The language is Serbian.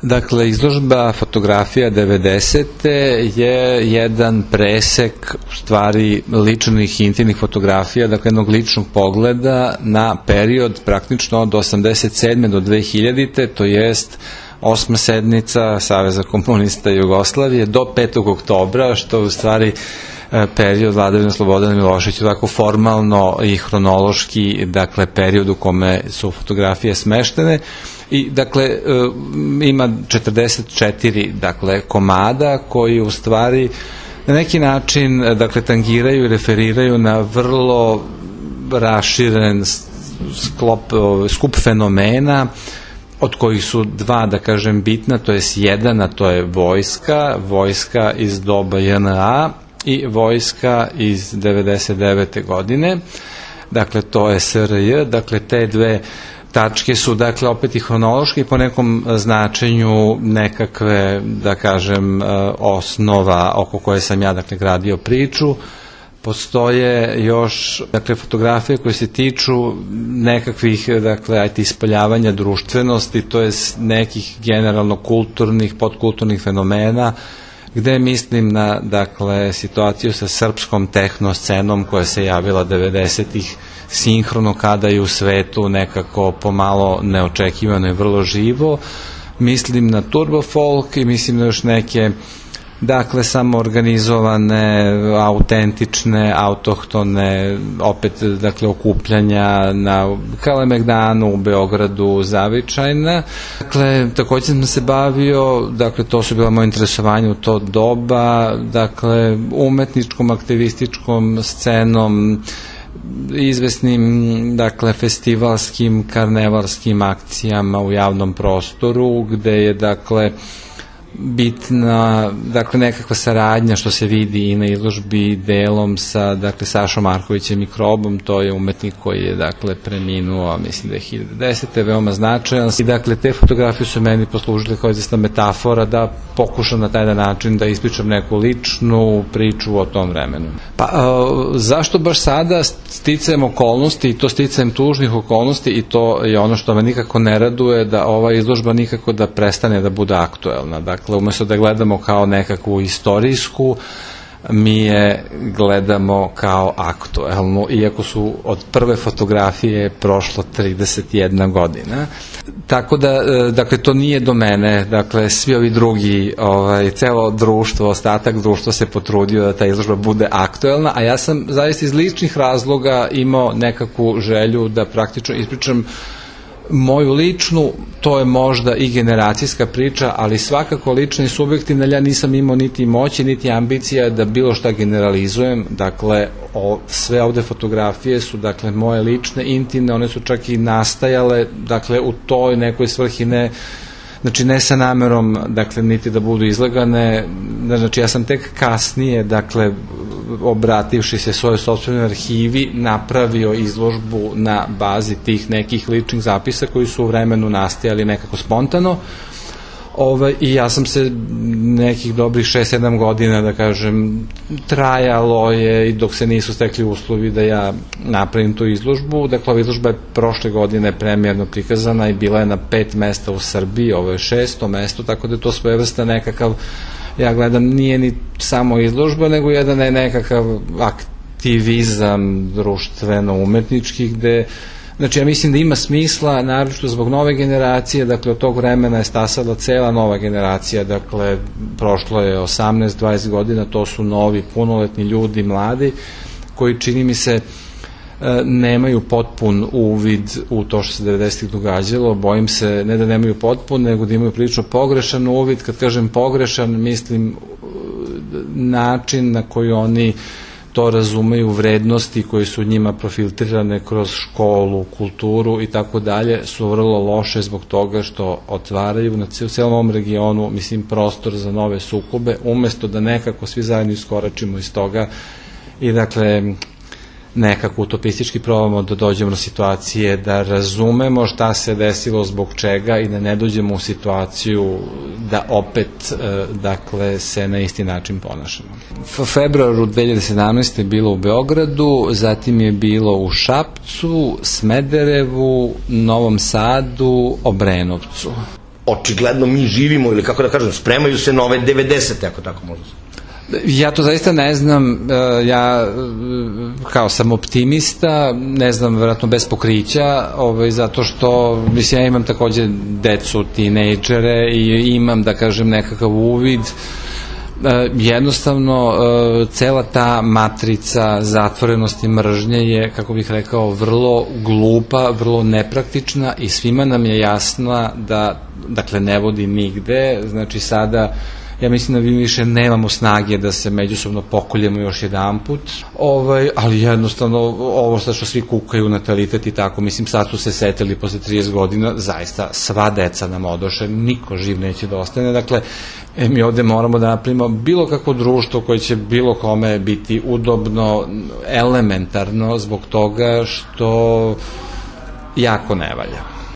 Dakle, izložba fotografija 90. je jedan presek u stvari ličnih i intimnih fotografija, dakle jednog ličnog pogleda na period praktično od 87. do 2000. to jest 8. sednica Saveza komunista Jugoslavije do 5. oktobra, što u stvari period vladavine Slobodana Miloševića, tako formalno i hronološki, dakle period u kome su fotografije smeštene. I dakle ima 44 dakle komada koji u stvari na neki način dakle tangiraju i referiraju na vrlo raširen skup fenomena, od kojih su dva, da kažem, bitna, to je jedan, a to je vojska iz doba JNA i vojska iz 99. godine, dakle to je SRJ, dakle te dve tačke su, dakle, opet i hronološki po nekom značenju nekakve, da kažem, osnova oko koje sam ja, dakle, gradio priču. Postoje još, dakle, fotografije koje se tiču nekakvih, dakle, ajte, ispoljavanja društvenosti, to je nekih generalno kulturnih, podkulturnih fenomena, gde mislim na, dakle, situaciju sa srpskom tehno scenom koja se javila 90-ih sinhrono kada je u svetu nekako pomalo neočekivano i vrlo živo. Mislim na turbo folk i mislim na još neke, dakle, samoorganizovane, autentične, autohtone, opet, dakle, okupljanja na Kalemegdanu, u Beogradu, zavičajna. Dakle, takođe sam se bavio, dakle, to su bila moje interesovanje u to doba, dakle, umetničkom, aktivističkom scenom, izvesnim, dakle, festivalskim, karnevalskim akcijama u javnom prostoru, gde je, dakle, bitna, dakle, nekakva saradnja što se vidi i na izložbi delom sa, dakle, Sašom Markovićem Mikrobom, to je umetnik koji je, dakle, preminuo, mislim, 2010. veoma značajan. I, dakle, te fotografije su meni poslužile kao izvesna metafora da pokušam na taj način da ispričam neku ličnu priču o tom vremenu. Pa, zašto baš sada? Sticajem okolnosti, i to sticajem tužnih okolnosti, i to je ono što me nikako ne raduje, da ova izložba nikako da prestane da bude aktuelna. Dakle, umesto da gledamo kao nekakvu istorijsku, mi je gledamo kao aktuelnu, iako su od prve fotografije prošlo 31 godina. Tako da, dakle, to nije do mene, dakle, svi ovi drugi, celo društvo, ostatak društva se potrudio da ta izložba bude aktuelna, a ja sam zaista iz ličnih razloga imao nekakvu želju da praktično ispričam moju ličnu, to je možda i generacijska priča, ali svakako lična i subjektivna, ja nisam imao niti moći, niti ambicija da bilo šta generalizujem, dakle, sve ovde fotografije su, dakle, moje lične, intimne, one su čak i nastajale, dakle, u toj nekoj svrhi, ne, znači, ne sa namerom, dakle, niti da budu izlagane, znači, ja sam tek kasnije, dakle, obrativši se svojoj sopstvenoj arhivi, napravio izložbu na bazi tih nekih ličnih zapisa koji su u vremenu nastajali nekako spontano, i ja sam se nekih dobrih 6-7 godina, da kažem, trajalo je i dok se nisu stekli uslovi da ja napravim tu izložbu. Dakle, ova izložba je prošle godine premijerno prikazana i bila je na 5 mesta u Srbiji, ovo je 6. mesto, tako da je to svojevrstan nekakav, ja gledam, nije ni samo izložba, nego jedan je nekakav aktivizam društveno-umetnički, gde, znači, ja mislim da ima smisla, naročito zbog nove generacije, dakle, od tog vremena je stasala cela nova generacija, dakle, prošlo je 18-20 godina, to su novi, punoletni ljudi, mladi, koji, čini mi se, nemaju potpun uvid u to što se 90-ih događalo, bojim se, ne da nemaju potpun, nego da imaju prilično pogrešan uvid. Kad kažem pogrešan, mislim način na koji oni to razumeju, vrednosti koje su njima profiltrirane kroz školu, kulturu i tako dalje, su vrlo loše zbog toga što otvaraju na celom ovom regionu, mislim, prostor za nove sukobe, umesto da nekako svi zajedno iskoračimo iz toga i, dakle, nekako utopistički probamo da dođemo do situacije da razumemo šta se desilo, zbog čega, i da ne dođemo u situaciju da opet, dakle, se na isti način ponašamo. U februaru 2017. je bilo u Beogradu, zatim je bilo u Šapcu, Smederevu, Novom Sadu, Obrenovcu. očigledno mi živimo, ili kako da kažem, spremaju se nove 90. ako tako možda se. Ja to zaista ne znam, ja kao sam optimista, ne znam, verovatno bez pokrića, zato što, mislim, ja imam takođe decu, tinejdžere i imam, da kažem, nekakav uvid. Jednostavno, cela ta matrica zatvorenosti mržnje je, kako bih rekao, vrlo glupa, vrlo nepraktična i svima nam je jasna da, dakle, ne vodi nigde. Znači, sada ja mislim da mi više nemamo snage da se međusobno pokoljemo još jedan put, ali jednostavno ovo što svi kukaju, natalitet i tako, mislim, sad su se setili posle 30 godina, zaista sva deca nam odoše, niko živ neće da ostane, dakle, mi ovde moramo da napravimo bilo kakvo društvo koje će bilo kome biti udobno, elementarno, zbog toga što jako ne valja.